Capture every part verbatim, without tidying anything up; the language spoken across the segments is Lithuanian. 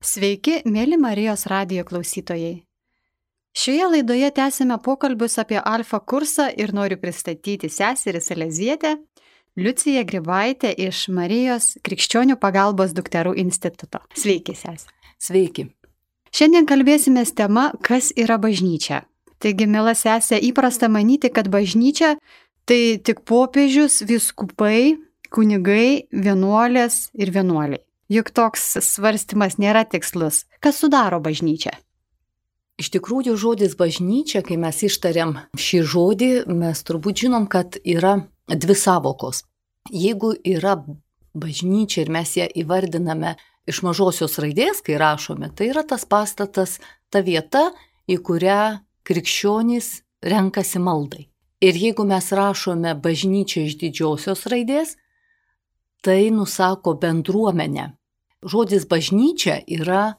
Sveiki, mėly Marijos radijo klausytojai. Šioje laidoje tęsime pokalbius apie alfa kursą ir noriu pristatyti seserį Salezietę, Liuciją Grybaitę iš Marijos Krikščionių pagalbos dukterų instituto. Sveiki, sesė. Sveiki. Šiandien kalbėsime tema, kas yra bažnyčia. Taigi, mėla sesė, įprasta manyti, kad bažnyčia tai tik popiežius, vyskupai, kunigai, vienuolės ir vienuoliai. Juk toks svarstymas nėra tikslus. Kas sudaro bažnyčią? Iš tikrųjų, žodis bažnyčia, kai mes ištariam šį žodį, mes turbūt žinom, kad yra dvi savokos. Jeigu yra bažnyčia ir mes ją įvardiname iš mažosios raidės, kai rašome, tai yra tas pastatas, ta vieta, į kurią krikščionys renkasi maldai. Ir jeigu mes rašome bažnyčia iš didžiosios raidės, tai nusako bendruomenę. Žodis bažnyčia yra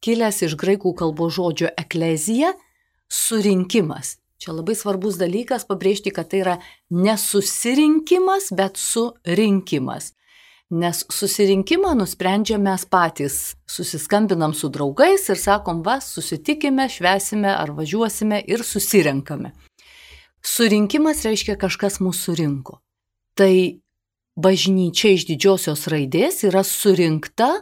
kilęs iš graikų kalbos žodžio eklezija, surinkimas. Čia labai svarbus dalykas pabrėžti, kad tai yra ne susirinkimas, bet surinkimas. Nes susirinkimą nusprendžiam mes patys. Susiskambinam su draugais ir sakom, va, susitikime, švesime ar važiuosime ir susirenkame. Surinkimas reiškia kažkas mūsų surinko. Tai bažnyčia iš didžiosios raidės yra surinkta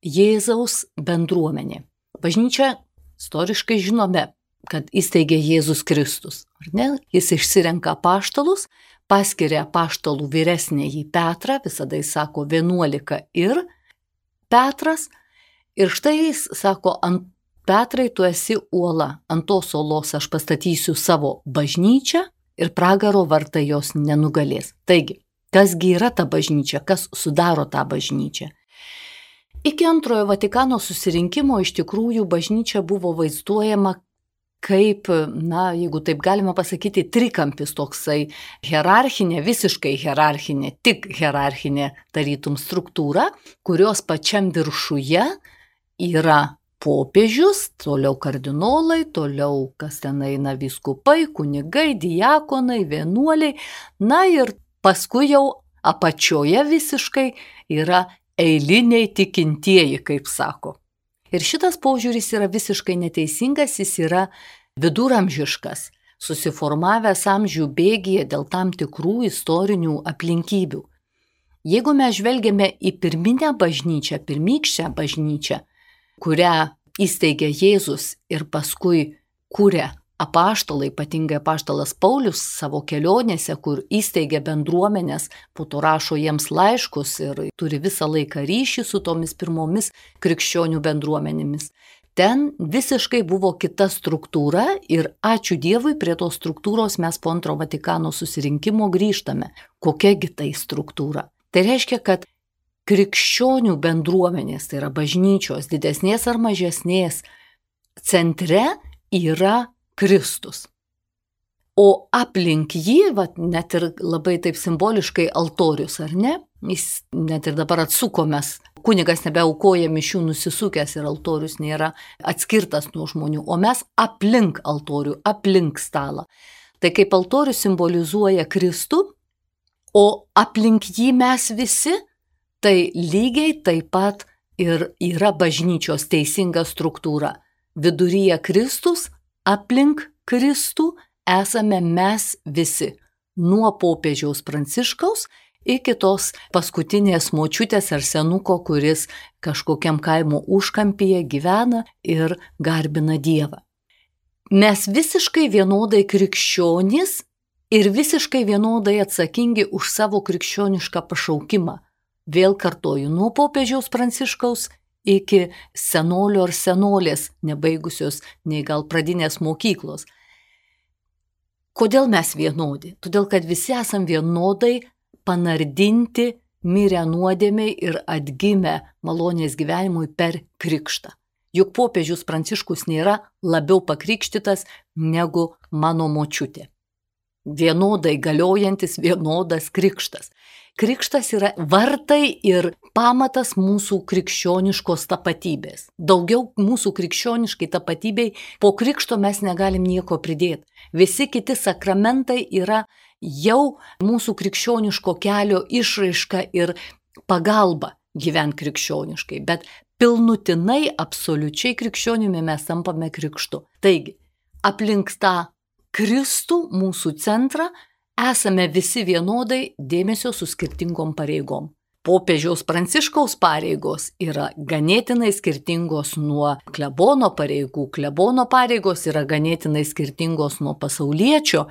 Jėzaus bendruomenė. Bažnyčia istoriškai žinome, kad įsteigė Jėzus Kristus. Ar ne? Jis išsirenka apaštalus, paskiria apaštalų vyresnįjį Petrą, visada jis sako vienuolika ir Petras. Ir štai jis sako, ant Petrai tu esi uola, ant tos uolos aš pastatysiu savo bažnyčią ir pragaro vartai jos nenugalės. Taigi, kasgi yra ta bažnyčia, kas sudaro tą bažnyčią? Iki antrojo Vatikano susirinkimo iš tikrųjų bažnyčia buvo vaizduojama kaip, na, jeigu taip galima pasakyti, trikampis toksai hierarchinė, visiškai hierarchinė, tik hierarchinė tarytum struktūra, kurios pačiam viršuje yra popiežius, toliau kardinolai, toliau kas ten eina vyskupai, kunigai, diakonai, vienuoliai, na ir paskui jau apačioje visiškai yra eiliniai tikintieji, kaip sako. Ir šitas požiūris yra visiškai neteisingas, jis yra viduramžiškas, susiformavęs amžių bėgyje dėl tam tikrų istorinių aplinkybių. Jeigu mes žvelgiame į pirminę bažnyčią, pirmykščią bažnyčią, kurią įsteigė Jėzus ir paskui kūrė apaštalai, ypatingai apaštalas Paulius savo kelionėse, kur įsteigė bendruomenės, po to rašo jiems laiškus ir turi visą laiką ryšį su tomis pirmomis krikščionių bendruomenėmis. Ten visiškai buvo kita struktūra ir ačiū Dievui prie tos struktūros mes po antro Vatikano susirinkimo grįžtame. Kokiagi tai struktūra? Tai reiškia, kad krikščionių bendruomenės, tai yra bažnyčios, didesnės ar mažesnės, centre yra Kristus. O aplink jį, vat, net ir labai taip simboliškai altorius, ar ne? Jis net ir dabar atsukomės. Kunigas nebeaukoja mišių nusisukęs ir altorius nėra atskirtas nuo žmonių, o mes aplink altorių, aplink stalą. Tai kaip altorius simbolizuoja Kristų, o aplink jį mes visi, tai lygiai taip pat ir yra bažnyčios teisinga struktūra. Viduryje Kristus, aplink Kristų esame mes visi, nuo popiežiaus Pranciškaus iki tos paskutinės močiutės ar senuko, kuris kažkokiam kaimo užkampyje gyvena ir garbina Dievą. Mes visiškai vienodai krikščionys ir visiškai vienodai atsakingi už savo krikščionišką pašaukimą. Vėl kartoju, nuo popiežiaus Pranciškaus iki senolio ar senolės, nebaigusios nei gal pradinės mokyklos. Kodėl mes vienodi? Todėl, kad visi esam vienodai panardinti, mirę nuodėmiai ir atgimę malonės gyvenimui per krikštą. Juk popiežius Pranciškus nėra labiau pakrikštytas negu mano močiutė. Vienodai galiojantis vienodas krikštas. Krikštas yra vartai ir pamatas mūsų krikščioniškos tapatybės. Daugiau mūsų krikščioniškai tapatybei po krikšto mes negalim nieko pridėti. Visi kiti sakramentai yra jau mūsų krikščioniško kelio išraiška ir pagalba gyventi krikščioniškai. Bet pilnutinai, absoliučiai krikščionimi mes tampame krikštu. Taigi, aplink tą Kristų, mūsų centrą, esame visi vienodai dėmesio su skirtingom pareigom. Popiežiaus Pranciškaus pareigos yra ganėtinai skirtingos nuo klebono pareigų, klebono pareigos yra ganėtinai skirtingos nuo pasauliečio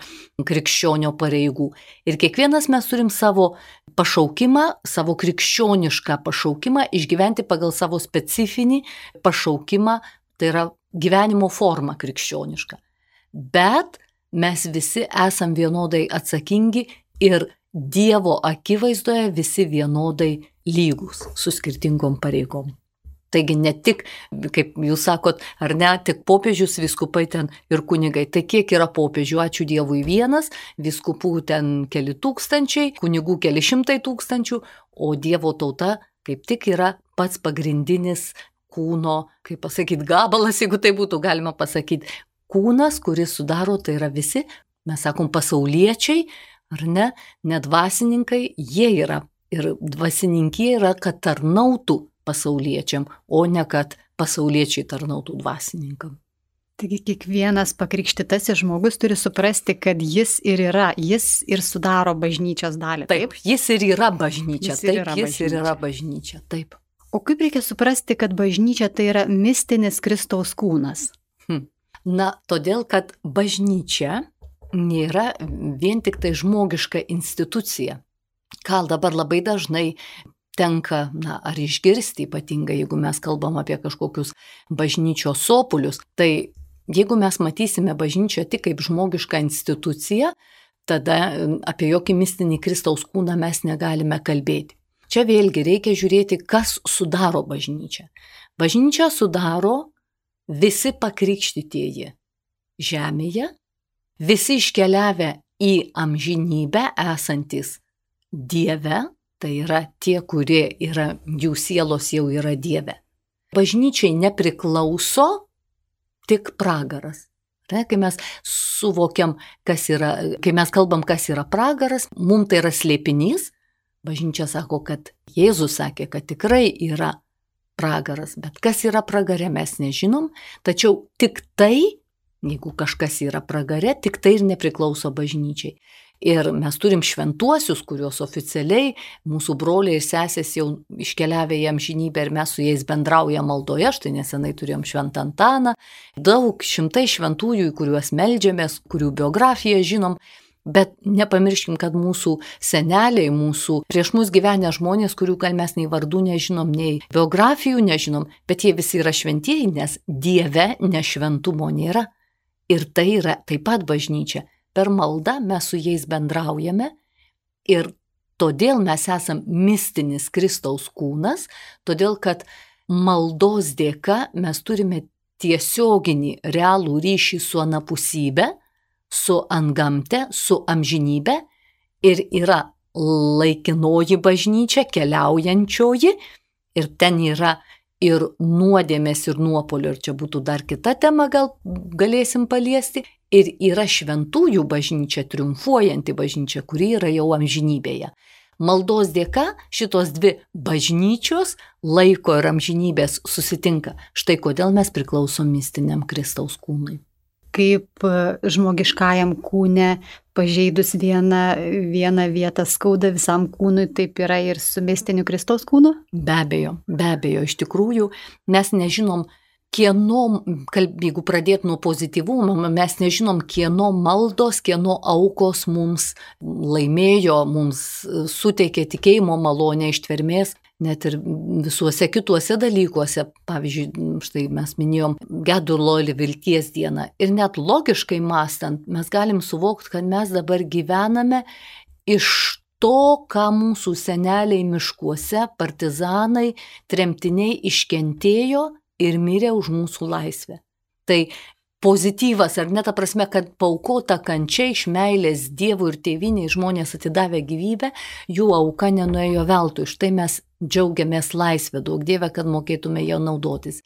krikščionio pareigų. Ir kiekvienas mes turim savo pašaukimą, savo krikščionišką pašaukimą išgyventi pagal savo specifinį pašaukimą, tai yra gyvenimo forma krikščioniška. Bet mes visi esam vienodai atsakingi ir Dievo akivaizdoje visi vienodai lygūs su skirtingom pareigom. Taigi ne tik, kaip jūs sakot, ar ne, tik popiežius, vyskupai ten ir kunigai. Tai kiek yra popiežių, ačiū Dievui vienas, vyskupų ten keli tūkstančiai, kunigų keli šimtai tūkstančių, o Dievo tauta kaip tik yra pats pagrindinis kūno, kaip pasakyti, gabalas, jeigu tai būtų galima pasakyti. Kūnas, kuris sudaro, tai yra visi, mes sakom, pasauliečiai, ar ne, nedvasininkai, jie yra. Ir dvasininkė yra, kad tarnautų pasauliečiam, o ne kad pasauliečiai tarnautų dvasininkam. Taigi kiekvienas pakrikštytasis žmogus turi suprasti, kad jis ir yra, jis ir sudaro bažnyčios dalį. Taip, taip jis ir yra bažnyčia. Jis ir taip, yra jis bažnyčia. ir yra bažnyčia. Taip. O kaip reikia suprasti, kad bažnyčia tai yra mistinis Kristaus kūnas? Hm. Na, todėl, kad bažnyčia nėra vien tik tai žmogiška institucija. Gal dabar labai dažnai tenka, na, ar išgirsti, ypatingai jeigu mes kalbam apie kažkokius bažnyčios sopulius, tai jeigu mes matysime bažnyčią tik kaip žmogišką instituciją, tada apie jokį mistinį Kristaus kūną mes negalime kalbėti. Čia vėlgi reikia žiūrėti, kas sudaro bažnyčią. Bažnyčią sudaro visi pakrikštytieji žemėje, visi iškeliavę į amžinybę esantis Dieve, tai yra tie, kurie yra, jų sielos jau yra Dieve. Bažnyčiai nepriklauso tik pragaras. Tai, kai mes suvokiam, kas yra, kai mes kalbam, kas yra pragaras, mums tai yra slėpinys. Bažnyčia sako, kad Jėzus sakė, kad tikrai yra pragaras, bet kas yra pragare mes nežinom, tačiau tik tai, jeigu kažkas yra pragare, tik tai ir nepriklauso bažnyčiai. Ir mes turim šventuosius, kuriuos oficialiai mūsų broliai ir sesės jau iškeliavę į amžinybę ir mes su jais bendraujam maldoje, štai nesenai turėjom šventą Antaną, daug šimtai šventųjų, į kuriuos meldžiamės, kurių biografiją žinom, bet nepamirškim, kad mūsų seneliai, mūsų prieš mus gyvenę žmonės, kurių gal mes nei vardų nežinom, nei biografijų nežinom, bet jie visi yra šventieji, nes Dieve nešventumo nėra. Ir tai yra taip pat bažnyčia. Per maldą mes su jais bendraujame ir todėl mes esam mistinis Kristaus kūnas, todėl kad maldos dėka mes turime tiesioginį realų ryšį su anapusybė, su antgamte, su amžinybė ir yra laikinoji bažnyčia, keliaujančioji ir ten yra ir nuodėmės, ir nuopolio, ir čia būtų dar kita tema, gal galėsim paliesti, ir yra šventųjų bažnyčia, triumfuojanti bažnyčia, kuri yra jau amžinybėje. Maldos dėka šitos dvi bažnyčios laiko ir amžinybės susitinka. Štai kodėl mes priklausom mistiniam Kristaus kūnui. Kaip žmogiškajam kūne pažeidus vieną, vieną vietą skauda visam kūnui, taip yra ir su mistiniu Kristaus kūnu? Be abejo, be abejo, iš tikrųjų mes nežinom, kieno, jeigu pradėt nuo pozityvumo, mes nežinom, kieno maldos, kieno aukos mums laimėjo, mums suteikė tikėjimo malonę ištvermės. Net ir visuose kituose dalykuose, pavyzdžiui, štai mes minėjom gedulo ir vilties dieną. Ir net logiškai mąstant, mes galim suvokti, kad mes dabar gyvename iš to, ką mūsų seneliai miškuose, partizanai, tremtiniai iškentėjo ir mirė už mūsų laisvę. Tai pozityvas, ar ne ta prasme, kad paaukota kančia iš meilės Dievui ir tėvynei žmonės atidavė gyvybę, jų auka nenuėjo veltui. Štai mes džiaugiamės laisvę, duok Dieve, kad mokėtume ją naudotis.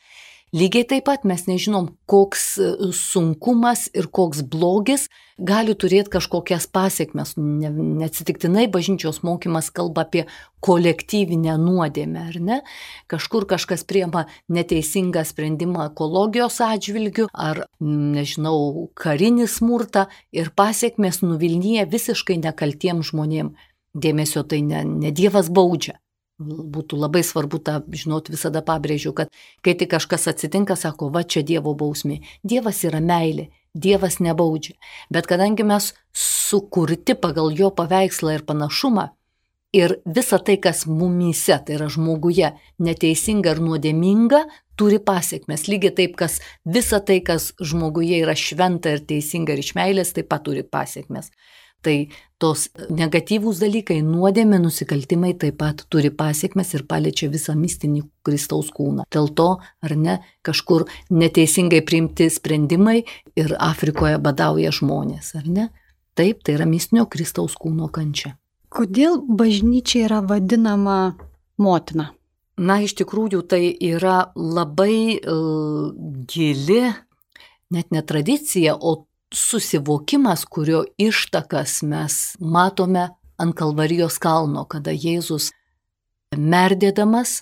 Lygiai taip pat mes nežinom, koks sunkumas ir koks blogis gali turėti kažkokias pasiekmes. Ne, neatsitiktinai bažnyčios mokymas kalba apie kolektyvinę nuodėmę, ar ne? Kažkur kažkas priima neteisingą sprendimą ekologijos atžvilgių, ar, nežinau, karinį smurtą ir pasiekmes nuvilnyja visiškai nekaltiem žmonėm. Dėmesio, tai ne, ne Dievas baudžia. Būtų labai svarbu tą žinot, visada pabrėžiu, kad kai tik kažkas atsitinka, sako, va čia Dievo bausmė. Dievas yra meilė, Dievas nebaudžia. Bet kadangi mes sukurti pagal jo paveikslą ir panašumą, ir visa tai, kas mumyse, tai yra žmoguje, neteisinga ir nuodėminga, turi pasiekmes. Lygiai taip, kas visa tai, kas žmoguje yra šventa ir teisinga ir iš meilės, taip pat turi pasiekmes. Tai tos negatyvūs dalykai, nuodėmė, nusikaltimai taip pat turi pasiekmes ir paliečia visą mistinį Kristaus kūną. Dėl to, ar ne, kažkur neteisingai priimti sprendimai ir Afrikoje badauja žmonės, ar ne? Taip, tai yra mistinio Kristaus kūno kančia. Kodėl bažnyčia yra vadinama motina? Na, iš tikrųjų, tai yra labai uh, gili, net ne tradicija, o susivokimas, kurio ištakas mes matome ant Kalvarijos kalno, kada Jėzus merdėdamas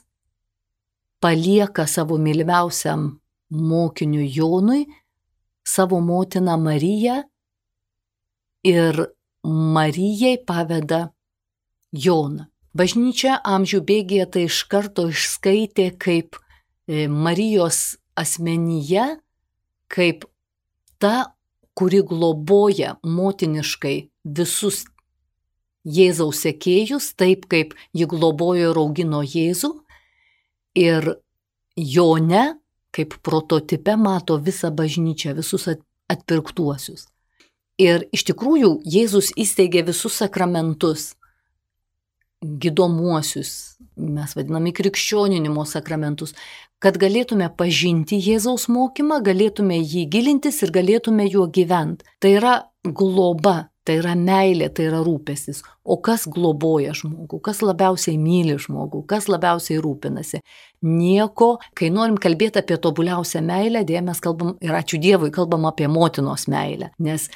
palieka savo mylimiausiam mokiniui Jonui savo motiną Mariją ir Marijai paveda Joną. Bažnyčia amžių bėgyje tai iš karto išskaitė kaip Marijos asmenyje, kaip ta, kuri globoja motiniškai visus Jėzaus sekėjus, taip kaip ji globojo ir augino Jėzų, ir Jone, kaip prototipe, mato visą bažnyčią, visus atpirktuosius. Ir iš tikrųjų Jėzus įsteigė visus sakramentus, gydomuosius, mes vadiname krikščioninimo sakramentus, kad galėtume pažinti Jėzaus mokymą, galėtume jį gilintis ir galėtume juo gyventi. Tai yra globa, tai yra meilė, tai yra rūpestis. O kas globoja žmogų, kas labiausiai myli žmogų, kas labiausiai rūpinasi? Nieko, kai norim kalbėti apie tobuliausią meilę, dėja mes kalbam, ir ačiū Dievui, kalbam apie motinos meilę. Nes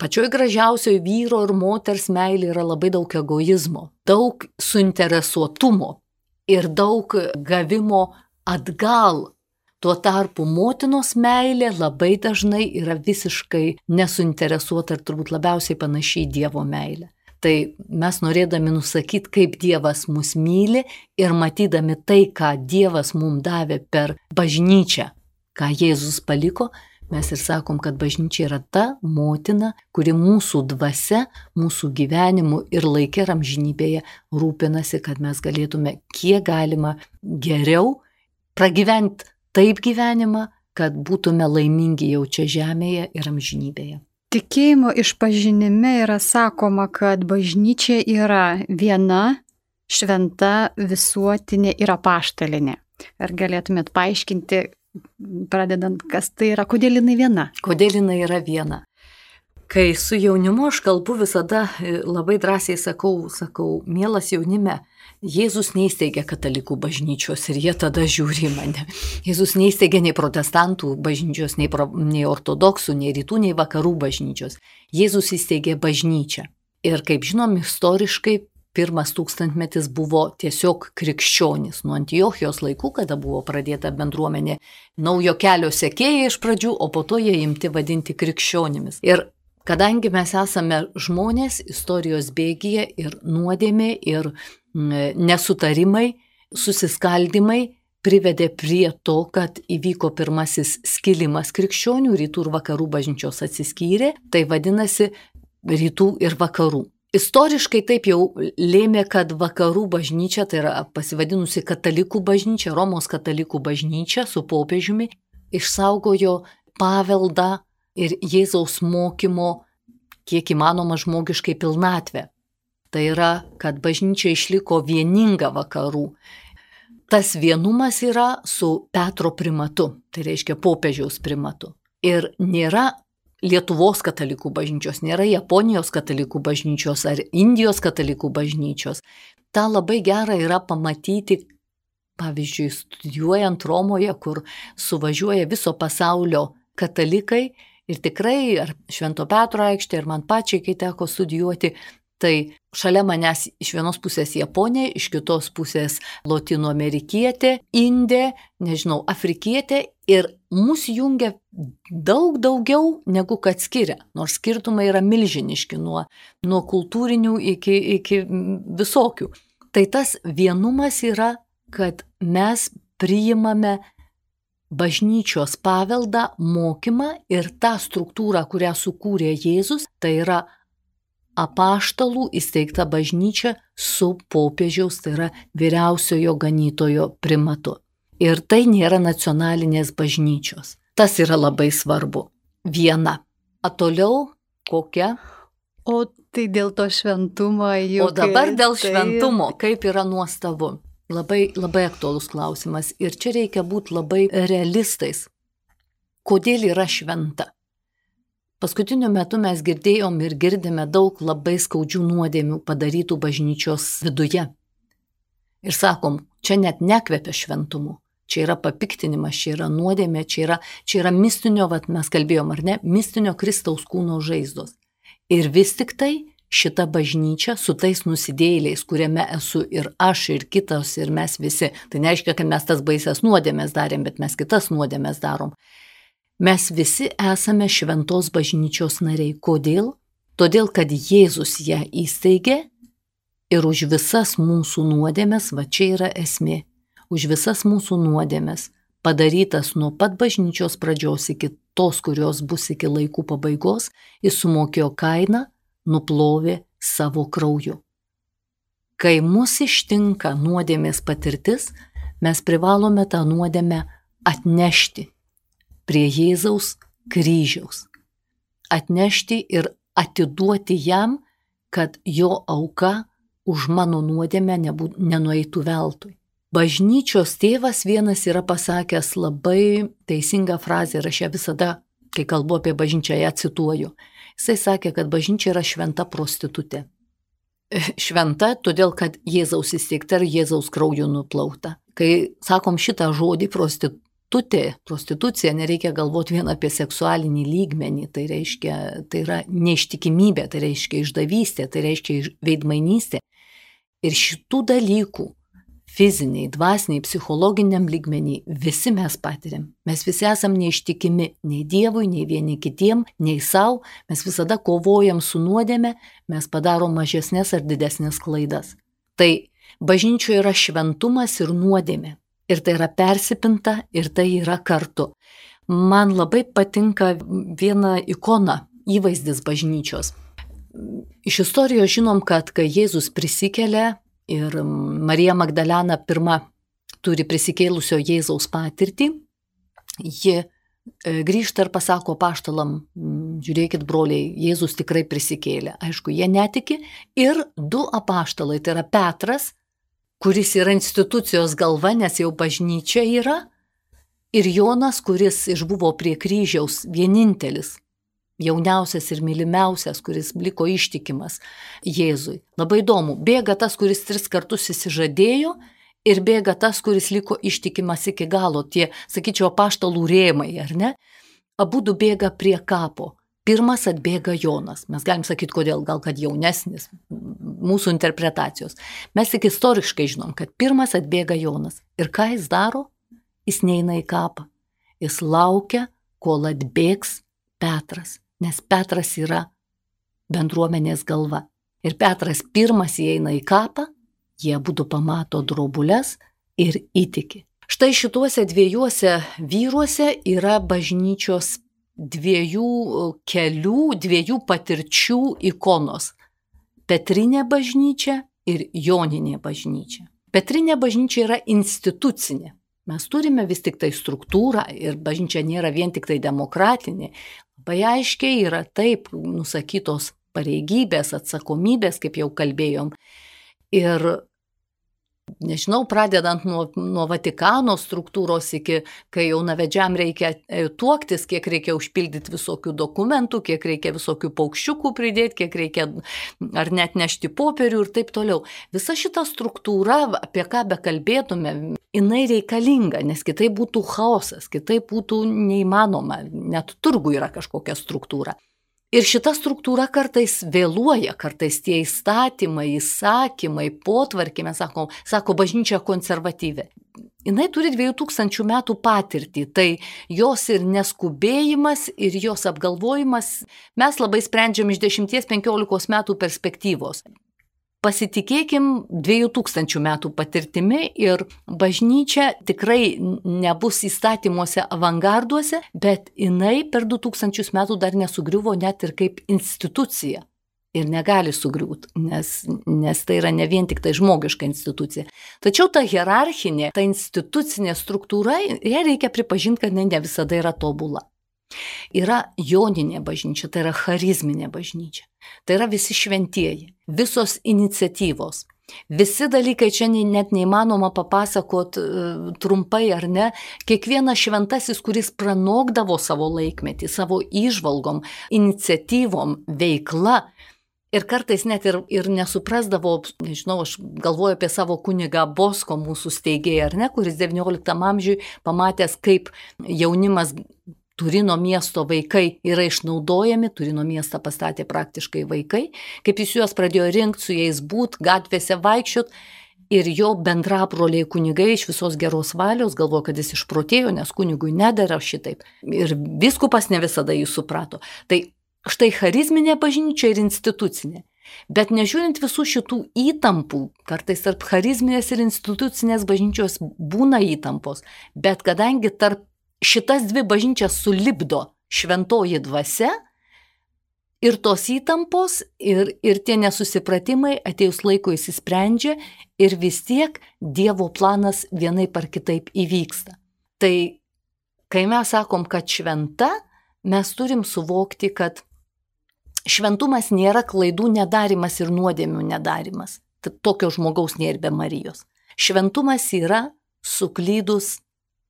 pačioj gražiausioj vyro ir moters meilė yra labai daug egoizmo, daug suinteresuotumo ir daug gavimo atgal. Tuo tarpu motinos meilė labai dažnai yra visiškai nesuinteresuota ir turbūt labiausiai panašiai į Dievo meilę. Tai mes norėdami nusakyti, kaip Dievas mus myli ir matydami tai, ką Dievas mums davė per bažnyčią, ką Jėzus paliko, mes ir sakom, kad bažnyčia yra ta motina, kuri mūsų dvasia, mūsų gyvenimu ir laike ir amžinybėje rūpinasi, kad mes galėtume kiek galima geriau pragyventi taip gyvenimą, kad būtume laimingi jau čia žemėje ir amžinybėje. Tikėjimo išpažinime yra sakoma, kad bažnyčia yra viena, šventa, visuotinė ir apaštalinė. Ar galėtumėt paaiškinti, pradedant, kas tai yra, kodėl jinai viena? Kodėl jinai yra viena? Kai su jaunimu aš kalbu, visada labai drąsiai sakau, sakau, mielas jaunime, Jėzus neįsteigė katalikų bažnyčios ir jie tada žiūri į mane. Jėzus neįsteigė nei protestantų bažnyčios, nei, pro, nei ortodoksų, nei rytų, nei vakarų bažnyčios. Jėzus įsteigė bažnyčią. Ir kaip žinom, istoriškai pirmas tūkstantmetis buvo tiesiog krikščionis. Nuo Antiochijos laikų, kada buvo pradėta bendruomenė naujo kelio sekėjai iš pradžių, o po to jie imti vadinti krikščionimis. Ir kadangi mes esame žmonės, istorijos bėgyje ir nuodėmė ir nesutarimai, susiskaldimai privedė prie to, kad įvyko pirmasis skilimas krikščionių, rytų ir vakarų bažnyčios atsiskyrė, tai vadinasi rytų ir vakarų. Istoriškai taip jau lėmė, kad vakarų bažnyčia, tai yra pasivadinusi katalikų bažnyčia, Romos katalikų bažnyčia su popiežiumi, išsaugojo paveldą ir Jėzaus mokymo kiek įmanoma žmogiškai pilnatvę. Tai yra, kad bažnyčia išliko vieninga vakarų. Tas vienumas yra su Petro primatu, tai reiškia popiežiaus primatu. Ir nėra Lietuvos katalikų bažnyčios, nėra Japonijos katalikų bažnyčios ar Indijos katalikų bažnyčios. Ta labai gera yra pamatyti pavyzdžiui, studijuojant Romoje, kur suvažiuoja viso pasaulio katalikai ir tikrai, ar Švento Petro aikštė, ir man pačiai, kai teko studijuoti, tai šalia manęs iš vienos pusės Japonė, iš kitos pusės Lotynų amerikietė, Indė, nežinau, afrikietė ir mus jungia daug daugiau negu kad skiria, nors skirtumai yra milžiniški nuo, nuo kultūrinių iki, iki visokių. Tai tas vienumas yra, kad mes priimame bažnyčios paveldą, mokymą ir tą struktūrą, kurią sukūrė Jėzus, tai yra apaštalų įsteigta bažnyčia su popiežiaus, tai yra vyriausiojo ganytojo primatu. Ir tai nėra nacionalinės bažnyčios. Tas yra labai svarbu. Viena. O toliau kokia? O tai dėl to šventumo jau. O dabar dėl tai... šventumo, kaip yra nuostabu. Labai, labai aktuolus klausimas. Ir čia reikia būti labai realistais. Kodėl yra šventa? Paskutiniu metu mes girdėjom ir girdime daug labai skaudžių nuodėmių padarytų bažnyčios viduje. Ir sakom, čia net nekvepia šventumu. Čia yra papiktinimas, čia yra nuodėmė, čia yra, čia yra mistinio, vat mes kalbėjom, ar ne, mistinio Kristaus kūno žaizdos. Ir vis tik tai šita bažnyčia su tais nusidėjėliais, kuriame esu ir aš, ir kitos, ir mes visi, tai nereiškia, kad mes tas baisias nuodėmės darėm, bet mes kitas nuodėmės darom. Mes visi esame šventos bažnyčios nariai. Kodėl? Todėl, kad Jėzus ją įsteigė ir už visas mūsų nuodėmės, va čia yra esmė, už visas mūsų nuodėmės, padarytas nuo pat bažnyčios pradžios iki tos, kurios bus iki laikų pabaigos, jis sumokėjo kainą, nuplovė savo krauju. Kai mus ištinka nuodėmės patirtis, mes privalome tą nuodėmę atnešti prie Jėzaus kryžiaus. Atnešti ir atiduoti jam, kad jo auka už mano nuodėmę nebū, nenueitų veltui. Bažnyčios tėvas vienas yra pasakęs labai teisingą frazę ir aš ją visada, kai kalbu apie bažnyčią, ją cituoju. Jisai sakė, kad bažnyčia yra šventa prostitutė. Šventa, todėl kad Jėzaus įsteigta ir Jėzaus krauju nuplauta. Kai sakom šitą žodį prostitutė, prostitucija, nereikia galvoti vien apie seksualinį lygmenį, tai reiškia, tai yra neištikimybė, tai reiškia išdavystė, tai reiškia veidmainystė. Ir šitų dalykų fiziniai, dvasiniai, psichologiniam lygmenį visi mes patiriam. Mes visi esam neištikimi nei Dievui, nei vieni kitiem, nei savo, mes visada kovojam su nuodėme, mes padarom mažesnės ar didesnės klaidas. Tai bažnyčioje yra šventumas ir nuodėmė. Ir tai yra persipinta, ir tai yra kartu. Man labai patinka viena ikona, įvaizdis bažnyčios. Iš istorijos žinom, kad kai Jėzus prisikelia ir Marija Magdalena pirma turi prisikėlusio Jėzaus patirtį, ji grįžta ir pasako apaštalam, žiūrėkit broliai, Jėzus tikrai prisikėlė. Aišku, jie netiki. Ir du apaštalai, tai yra Petras, kuris yra institucijos galva, nes jau bažnyčia yra, ir Jonas, kuris išbuvo prie kryžiaus vienintelis, jauniausias ir mylimiausias, kuris liko ištikimas Jėzui. Labai įdomu, bėga tas, kuris tris kartus įsižadėjo, ir bėga tas, kuris liko ištikimas iki galo, tie, sakyčiau, apaštalų rėmai, ar ne? Abudu bėga prie kapo. Pirmas atbėga Jonas. Mes galim sakyti, kodėl, gal kad jaunesnis, mūsų interpretacijos. Mes tik istoriškai žinom, kad pirmas atbėga Jonas. Ir ką jis daro? Jis neina į kapą. Jis laukia, kol atbėgs Petras, nes Petras yra bendruomenės galva. Ir Petras pirmas įeina į kapą, jie abudu pamato drobules ir įtiki. Štai šituose dviejuose vyruose yra bažnyčios dviejų kelių, dviejų patirčių ikonos. Petrinė bažnyčia ir Joninė bažnyčia. Petrinė bažnyčia yra institucinė. Mes turime vis tik tai struktūrą ir bažnyčia nėra vien tik tai demokratinė. Labai aiškiai yra taip nusakytos pareigybės, atsakomybės, kaip jau kalbėjom. Ir nežinau, pradedant nuo, nuo Vatikano struktūros iki, kai jaunavedžiam reikia tuoktis, kiek reikia užpildyti visokių dokumentų, kiek reikia visokių paukščiukų pridėti, kiek reikia ar net nešti popierių ir taip toliau. Visa šita struktūra, apie ką bekalbėtume, jinai reikalinga, nes kitaip būtų chaosas, kitaip būtų neįmanoma, net turgų yra kažkokia struktūra. Ir šita struktūra kartais vėluoja, kartais tie įstatymai, įsakymai, potvarkiai, mes sakom, sako bažnyčia konservatyvi. Jinai turi dviejų tūkstančių metų patirtį, tai jos ir neskubėjimas, ir jos apgalvojimas mes labai sprendžiam iš dešimties penkiolikos metų perspektyvos. Pasitikėkim dviejų tūkstančių metų patirtimi ir bažnyčia tikrai nebus įstatymuose avangarduose, bet jinai per du tūkstančius metų dar nesugriuvo net ir kaip institucija. Ir negali sugriūti, nes, nes tai yra ne vien tik tai žmogiška institucija. Tačiau ta hierarchinė, ta institucinė struktūra, ją reikia pripažinti, kad ne visada yra tobula. Yra joninė bažnyčia, tai yra charizminė bažnyčia. Tai yra visi šventieji, visos iniciatyvos. Visi dalykai čia net neįmanoma papasakot trumpai ar ne. Kiekvienas šventasis, kuris pranokdavo savo laikmetį, savo įžvalgom, iniciatyvom, veikla. Ir kartais net ir, ir nesuprasdavo, nežinau, aš galvoju apie savo kunigą Bosko, mūsų steigėją, ar ne, kuris devynioliktam amžiui pamatęs, kaip jaunimas Turino miesto vaikai yra išnaudojami, Turino miestą pastatė praktiškai vaikai, kaip jis juos pradėjo rinkti, su jais būt, gatvėse vaikščiot, ir jo bendrabroliai kunigai iš visos geros valios galvojo, kad jis išprotėjo, nes kunigui nedara šitaip. Ir vyskupas ne visada jį suprato. Tai štai charizminė bažnyčia ir institucinė. Bet nežiūrint visų šitų įtampų, kartais tarp charizminės ir institucinės bažnyčios būna įtampos, bet kadangi tarp šitas dvi bažnyčias sulipdo šventoji dvasia ir tos įtampos ir, ir tie nesusipratimai atėjus laiko įsisprendžia ir vis tiek Dievo planas vienaip ar kitaip įvyksta. Tai kai mes sakom, kad šventa, mes turim suvokti, kad šventumas nėra klaidų nedarimas ir nuodėmių nedarimas. Tokio žmogaus nėra be Marijos. Šventumas yra suklydus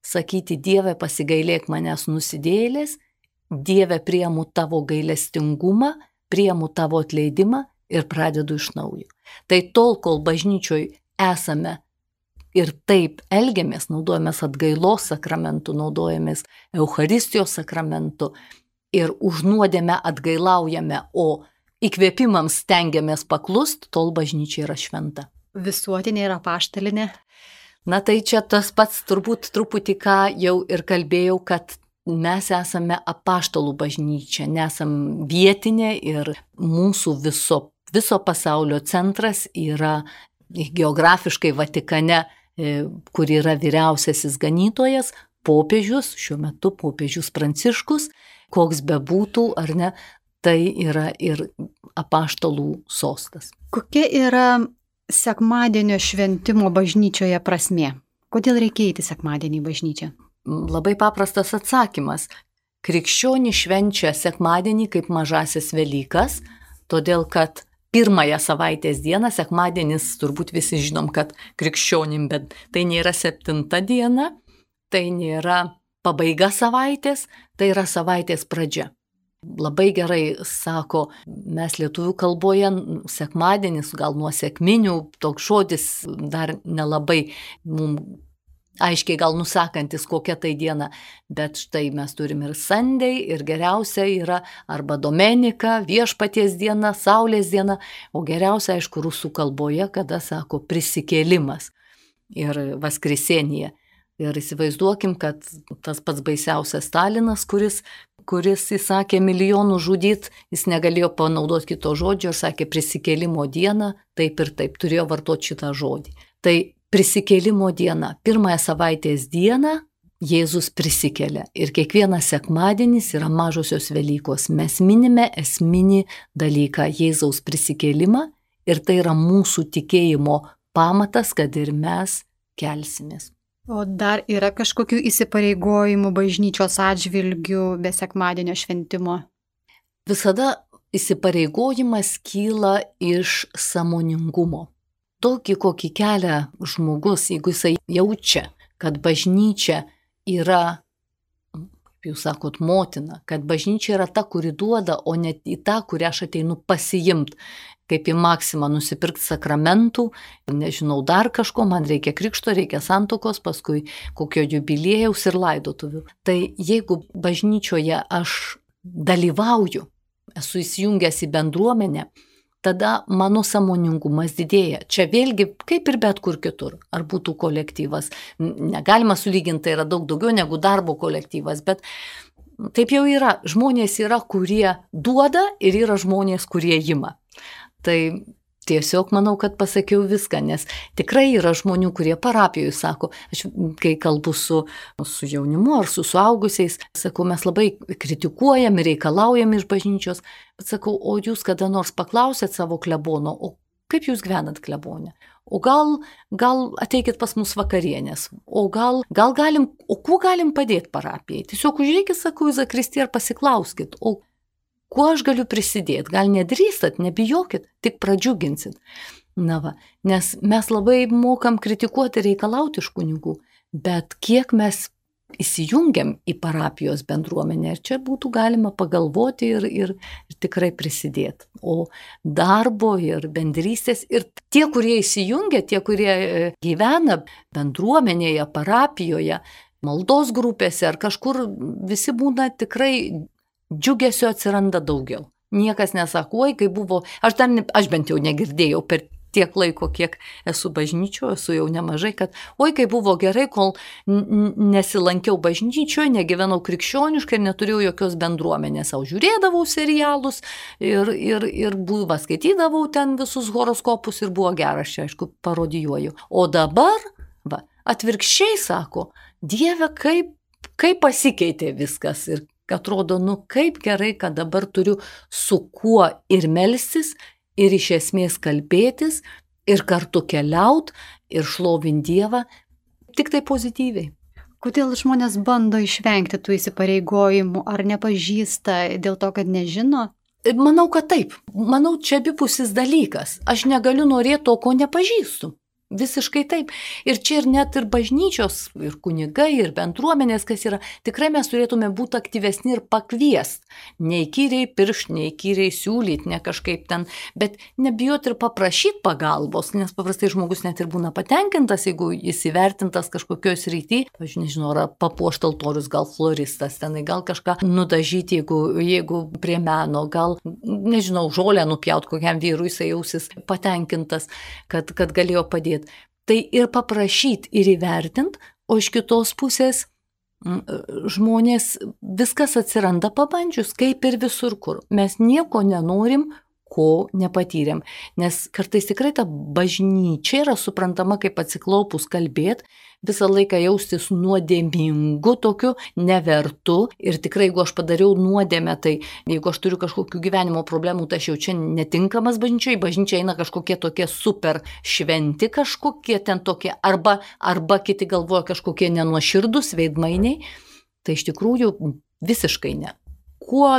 sakyti, Dieve, pasigailėk manęs nusidėjėlės, Dieve, priimu tavo gailestingumą, priimu tavo atleidimą ir pradedu iš naujo. Tai tol, kol bažnyčioj esame ir taip elgiamės, naudojamės atgailos sakramentu, naudojamės Eucharistijos sakramentu ir už nuodėmę atgailaujame, o įkvėpimams stengiamės paklust, tol bažnyčia yra šventa. Visuotinė ir apaštalinė. Na tai čia tas pats turbūt truputį ką jau ir kalbėjau, kad mes esame apaštalų bažnyčia, nesam vietinė ir mūsų viso, viso pasaulio centras yra geografiškai Vatikane, kur yra vyriausiasis ganytojas, popiežius, šiuo metu popiežius Pranciškus, koks bebūtų ar ne, tai yra ir apaštalų sostas. Kokia yra sekmadienio šventimo bažnyčioje prasmė? Kodėl reikia eiti sekmadienį į bažnyčią? Labai paprastas atsakymas. Krikščionys švenčia sekmadienį kaip mažasis Velykas, todėl kad pirmąją savaitės dieną, sekmadienis turbūt visi žinom, kad krikščionim, bet tai nėra septinta diena, tai nėra pabaiga savaitės, tai yra savaitės pradžia. Labai gerai sako, mes lietuvių kalboje sekmadienis, gal nuo sekminių, toks žodis dar nelabai mums aiškiai gal nusakantis, kokia tai diena, bet štai mes turim ir Sunday, ir geriausia yra arba Domenika, viešpaties diena, saulės diena, o geriausia, aišku, rusų kalboje, kada sako prisikėlimas ir vaskrisenija. Ir įsivaizduokim, kad tas pats baisiausias Stalinas, kuris, kuris įsakė milijonų žudyt, jis negalėjo panaudoti kito žodžio ir sakė prisikėlimo diena, taip ir taip, turėjo vartoti šitą žodį. Tai prisikėlimo diena, pirmąją savaitės dieną Jėzus prisikelia ir kiekvienas sekmadienis yra mažosios Velykos. Mes minime esminį dalyką Jėzaus prisikėlimą ir tai yra mūsų tikėjimo pamatas, kad ir mes kelsimės. O dar yra kažkokių įsipareigojimų bažnyčios atžvilgių be sekmadienio šventimo? Visada įsipareigojimas kyla iš sąmoningumo. tokį, kokį kelia žmogus, jeigu jisai jaučia, kad bažnyčia yra, kaip jūs sakot, motina, kad bažnyčia yra ta, kuri duoda, o ne į tą, kurią aš ateinu pasiimti. Kaip į maksimą nusipirkti sakramentų, nežinau, dar kažko, man reikia krikšto, reikia santokos, paskui kokio jubiliejaus ir laidotuvių. Tai jeigu bažnyčioje aš dalyvauju, esu įsijungęs į bendruomenę, tada mano sąmoningumas didėja. Čia vėlgi, kaip ir bet kur kitur, ar būtų kolektyvas. Negalima sulyginti, tai yra daug daugiau negu darbo kolektyvas, bet taip jau yra. Žmonės yra, kurie duoda ir yra žmonės, kurie ima. Tai tiesiog manau, kad pasakiau viską, nes tikrai yra žmonių, kurie parapijoje sako, aš kai kalbu su, su jaunimu ar su suaugusiais, sakau, mes labai kritikuojam ir reikalaujam iš bažnyčios, bet sakau, o jūs kada nors paklausėt savo klebono, o kaip jūs gyvenat klebone? O gal, gal ateikit pas mus vakarienės, o gal, gal galim, o kuo galim padėti parapijai? Tiesiog užreikit, sakau, į zakristiją ir pasiklauskit, o kuo aš galiu prisidėti? Gal nedrįstat, nebijokit, tik pradžiuginsit. Na va, nes mes labai mokam kritikuoti ir reikalauti iš kunigų, bet kiek mes įsijungiam į parapijos bendruomenę ir čia būtų galima pagalvoti ir, ir, ir tikrai prisidėti. O darbo ir bendrystės ir tie, kurie įsijungia, tie, kurie gyvena bendruomenėje, parapijoje, maldos grupėse ar kažkur, visi būna tikrai džiugesio atsiranda daugiau. Niekas nesako, oi, kai buvo, aš, dar, ne, aš bent jau negirdėjau per tiek laiko, kiek esu bažnyčioje, esu jau nemažai, kad oi, kai buvo gerai, kol nesilankiau bažnyčioje, negyvenau krikščioniškai ir neturėjau jokios bendruomenės, o žiūrėdavau serialus ir, ir, ir buvo, skaitydavau ten visus horoskopus ir buvo geras, čia aišku, parodijuoju. O dabar, va, atvirkščiai sako, Dieve, kaip, kaip pasikeitė viskas ir atrodo, nu kaip gerai, kad dabar turiu su kuo ir melstis, ir iš esmės kalbėtis, ir kartu keliaut, ir šlovint Dievą, tik tai pozityviai. Kodėl žmonės bando išvengti tų įsipareigojimų, ar nepažįsta dėl to, kad nežino? Manau, kad taip. Manau, čia abipusis dalykas. Aš negaliu norėti to, ko nepažįstu. Visiškai taip. Ir čia ir net ir bažnyčios, ir kunigai, ir bendruomenės, kas yra, tikrai mes turėtume būti aktyvesni ir pakviest. Neįkyriai piršt, neįkyriai siūlyti, ne kažkaip ten, bet nebijoti ir paprašyti pagalbos, nes paprastai žmogus net ir būna patenkintas, jeigu jis įvertintas kažkokioj srity, aš nežinau, ar papuošt altorius, gal floristas tenai, gal kažką nudažyti, jeigu, jeigu prie meno, gal, nežinau, žolę nupjaut kokiam vyrui, jisai jausis patenkintas, kad, kad galėjo padėti. Tai ir paprašyti, ir įvertinti, o iš kitos pusės žmonės viskas atsiranda pabandžius, kaip ir visur kur. Mes nieko nenorim, ko nepatyrėm. Nes kartais tikrai ta bažnyčia yra suprantama kaip atsiklaupus kalbėti, visą laiką jaustis nuodėmingu tokiu, nevertu. Ir tikrai, jeigu aš padariau nuodėmę, tai jeigu aš turiu kažkokių gyvenimo problemų, tai aš jau čia netinkamas bažnyčiai, bažnyčia eina kažkokie tokie super šventi kažkokie ten tokie, arba, arba kiti galvoja kažkokie nenuoširdus veidmainiai. Tai iš tikrųjų visiškai ne. Kuo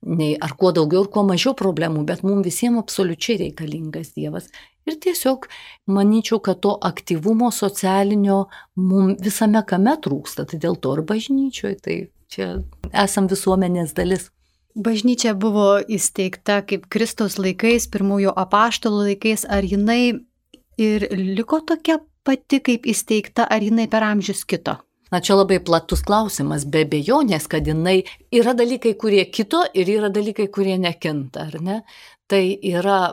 nei ar kuo daugiau ir kuo mažiau problemų, bet mums visiems absoliučiai reikalingas Dievas. Ir tiesiog manyčiau, kad to aktyvumo socialinio mums visame kame trūksta, tai dėl to ir bažnyčioje, tai čia esam visuomenės dalis. Bažnyčia buvo įsteigta kaip Kristaus laikais, pirmųjų apaštalų laikais, ar jinai ir liko tokia pati kaip įsteigta, ar jinai per amžius kito? Na, čia labai platus klausimas, be abejonės, kad jinai yra dalykai, kurie kito ir yra dalykai, kurie nekinta, ar ne? Tai yra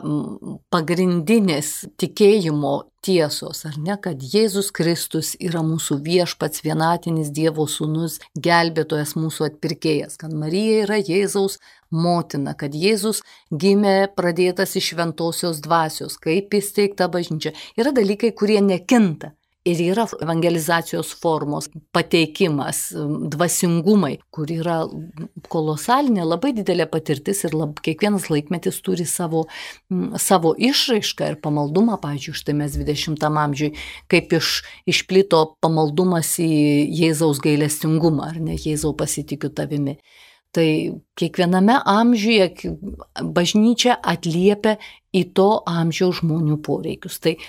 pagrindinės tikėjimo tiesos, ar ne, kad Jėzus Kristus yra mūsų viešpats, vienatinis Dievo sūnus, gelbėtojas, mūsų atpirkėjas, kad Marija yra Jėzaus motina, kad Jėzus gimė pradėtas iš šventosios dvasios, kaip įsteigta bažnyčia. Yra dalykai, kurie nekinta. Ir yra evangelizacijos formos pateikimas, dvasingumai, kur yra kolosalinė, labai didelė patirtis ir lab, kiekvienas laikmetis turi savo, savo išraišką ir pamaldumą. Pavyzdžiui, štai mes dvidešimtam amžiui, kaip iš, išplito pamaldumas į Jėzaus gailestingumą, ar ne, Jėzau pasitikiu tavimi. Tai kiekviename amžiuje bažnyčia atliepia į to amžiaus žmonių poreikius. Tai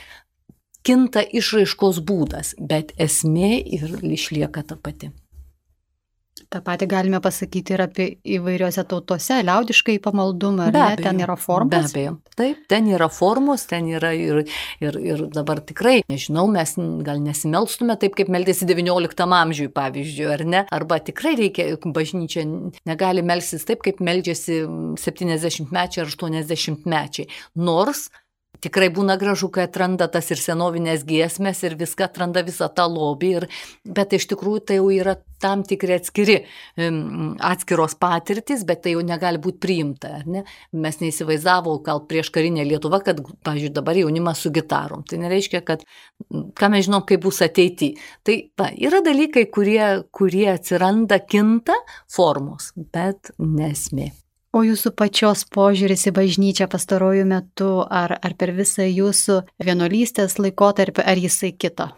kinta išraiškos būdas, bet esmė ir išlieka ta pati. Ta pati galime pasakyti ir apie įvairiose tautose, liaudiškai pamaldumą, ar ne, ten yra formos? Be abejo, taip, ten yra formos, ten yra ir, ir, ir dabar tikrai, nežinau, mes gal nesimelstume taip, kaip meldėsi devynioliktam amžiui, pavyzdžiui, ar ne, arba tikrai reikia, bažnyčia negali melstis taip, kaip meldžiasi septyniasdešimtmečiai ar aštuoniasdešimtmečiai, nors tikrai būna gražu, kai atranda tas ir senovinės giesmės ir viską atranda visą tą lobį, ir, bet iš tikrųjų tai jau yra tam tikri atskiri, atskiros patirtis, bet tai jau negali būti priimta. Ne? Mes neįsivaizdavo, gal prieš karinę Lietuvą, kad, pavyzdžiui, dabar jaunimas su gitarom. Tai nereiškia, kad ką mes žinom, kaip bus ateityje. Tai va, yra dalykai, kurie, kurie atsiranda, kinta formos, bet nesmė. O jūsų pačios požiūris į bažnyčią pastarojų metų, ar, ar per visą jūsų vienuolystės laikotarpį, ar jisai kito?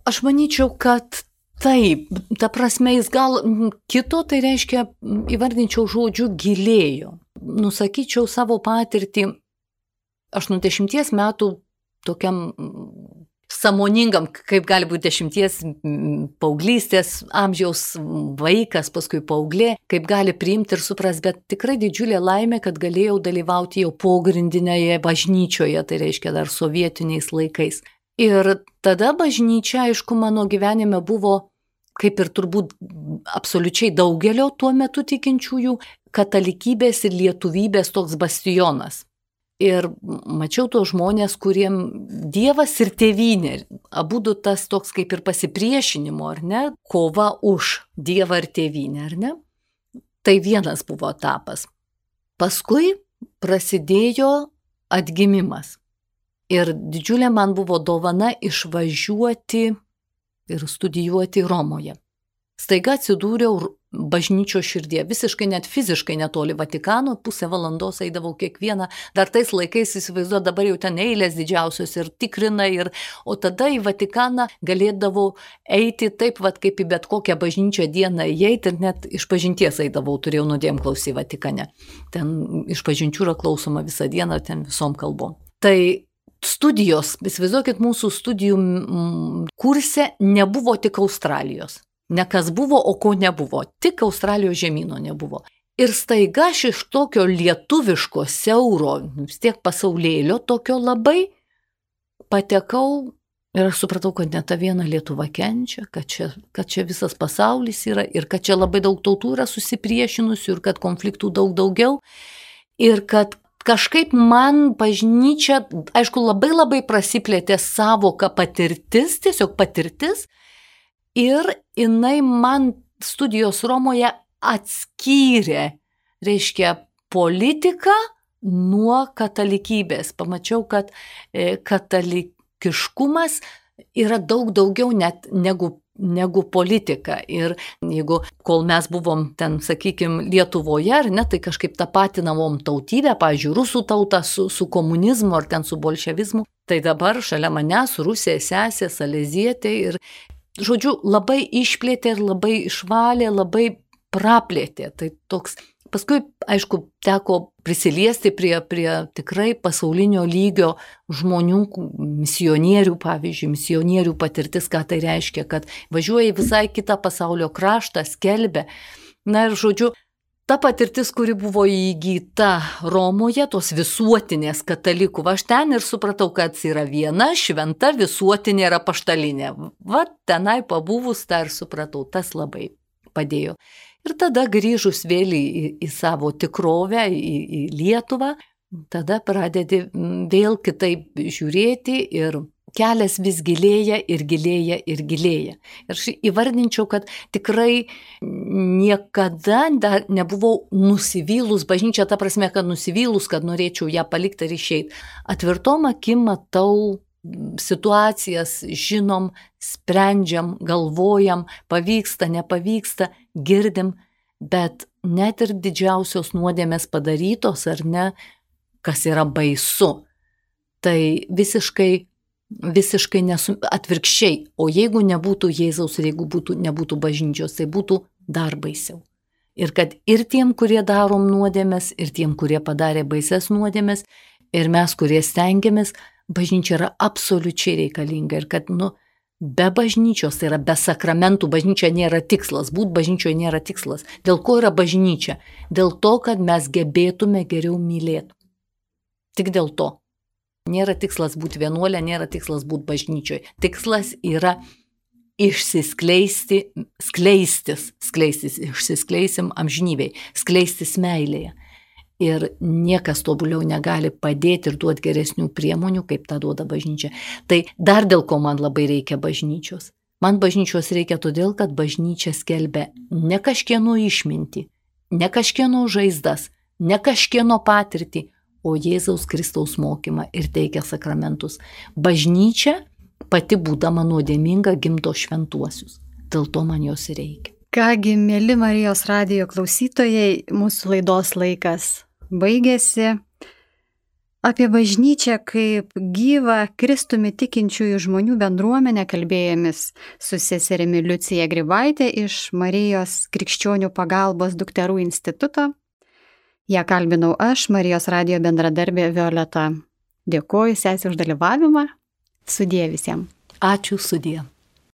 Aš manyčiau, kad taip, ta prasme jis gal kito, tai reiškia, įvardinčiau žodžiu gilėjo. Nusakyčiau savo patirtį aštuoniasdešimties metų tokiam sąmoningam, kaip gali būti dešimties paauglystės amžiaus vaikas, paskui paauglė, kaip gali priimti ir supras, bet tikrai didžiulė laimė, kad galėjau dalyvauti jau pogrindinėje bažnyčioje, tai reiškia dar sovietiniais laikais. Ir tada bažnyčia, aišku, mano gyvenime buvo, kaip ir turbūt absoliučiai daugelio tuo metu tikinčiųjų, katalikybės ir lietuvybės toks bastionas. Ir mačiau tos žmonės, kuriem Dievas ir tėvynė, abudu tas toks kaip ir pasipriešinimo, ar ne, kova už Dievą ir tėvynę, ar ne? Tai vienas buvo etapas. Paskui prasidėjo atgimimas. Ir didžiulė man buvo dovana išvažiuoti ir studijuoti Romoje. Staiga atsidūriau bažnyčios širdie, visiškai net fiziškai netoli Vatikano, pusę valandos eidavau kiekvieną, dar tais laikais įsivaizduoju, dabar jau ten eilės didžiausios ir tikrina, ir, o tada į Vatikaną galėdavau eiti taip, vat, kaip į bet kokią bažnyčią dieną įeiti, ir net iš pažinties eidavau, turėjau nuodėmklausį į Vatikane. Ten iš pažinčių yra klausoma visą dieną, ten visom kalbom. Tai studijos, įsivaizduokit, mūsų studijų kurse nebuvo tik Australijos. Ne kas buvo, o ko nebuvo. Tik Australijos žemyno nebuvo. Ir staiga aš iš tokio lietuviško, siauro, vis tiek pasaulėlio, tokio labai patekau ir aš supratau, kad ne ta viena Lietuva kenčia, kad čia, kad čia visas pasaulis yra ir kad čia labai daug tautų yra susipriešinusių ir kad konfliktų daug daugiau. Ir kad kažkaip man bažnyčia, aišku, labai labai prasiplėtė savoka patirtis, tiesiog patirtis. Ir jinai man studijos Romoje atskyrė, reiškia, politiką nuo katalikybės. Pamačiau, kad katalikiškumas yra daug daugiau net negu, negu politika. Ir jeigu, kol mes buvom ten, sakykime, Lietuvoje, ar ne, tai kažkaip tapatinavom tautybę, pavyzdžiui, rusų tautą su, su komunizmu ar ten su bolševizmu, tai dabar šalia manęs Rusija sesė, Salezietė ir žodžiu, labai išplėtė ir labai išvalė, labai praplėtė. Tai toks, paskui, aišku, teko prisiliesti prie, prie tikrai pasaulinio lygio žmonių, misionierių, pavyzdžiui, misionierių patirtis, ką tai reiškia, kad važiuoja į visai kitą pasaulio kraštą, skelbia. Na ir žodžiu, ta patirtis, kuri buvo įgyta Romoje, tos visuotinės katalikų, aš ten ir supratau, kad yra viena šventa visuotinė ir apaštalinė. Va, tenai pabuvus tą ir supratau, tas labai padėjo. Ir tada grįžus vėl į, į savo tikrovę, į, į Lietuvą, tada pradedi vėl kitaip žiūrėti ir kelias vis gilėja ir gilėja ir gilėja. Ir aš įvardinčiau, kad tikrai niekada dar nebuvau nusivylus bažnyčia, ta prasme, kad nusivylus, kad norėčiau ją palikti ir išeiti. Atvirtom akim matau situacijas, žinom, sprendžiam, galvojam, pavyksta, nepavyksta, girdim, bet net ir didžiausios nuodėmės padarytos, ar ne, kas yra baisu, tai visiškai visiškai nesu, atvirkščiai, o jeigu nebūtų Jėzaus ir jeigu būtų, nebūtų bažnyčios, tai būtų dar baisiau. Ir kad ir tiem, kurie darom nuodėmes, ir tiem, kurie padarė baises nuodėmes, ir mes, kurie stengiamės, bažnyčia yra absoliučiai reikalinga. Ir kad, nu, be bažnyčios, tai yra be sakramentų, bažnyčia nėra tikslas, būt bažnyčioje nėra tikslas. Dėl ko yra bažnyčia? Dėl to, kad mes gebėtume geriau mylėti. Tik dėl to. Nėra tikslas būti vienuolė, nėra tikslas būti bažnyčioje. Tikslas yra išsiskleisti, skleistis, skleistis, išsiskleisim amžinybėj, skleistis meilėje. Ir niekas tobuliau negali padėti ir duoti geresnių priemonių, kaip tą duoda bažnyčia. Tai dar dėl ko man labai reikia bažnyčios. Man bažnyčios reikia todėl, kad bažnyčia skelbia ne kažkieno išmintį, ne kažkieno žaizdas, ne kažkieno patirtį, o Jėzaus Kristaus mokymą ir teikia sakramentus. Bažnyčia pati būdama nuodėminga gimdo šventuosius. Dėl to man jos reikia. Kągi, mėly Marijos radijo klausytojai, mūsų laidos laikas baigėsi. Apie bažnyčią kaip gyvą Kristumi tikinčiųjų žmonių bendruomenę kalbėjomės su seserimi Liucija Grybaitė iš Marijos krikščionių pagalbos dukterų instituto. Ja kalbinau aš, Marijos radijo bendradarbė Violeta. Dėkoju sesei už dalyvavimą. Sudie visiems. Ačiū, sudie.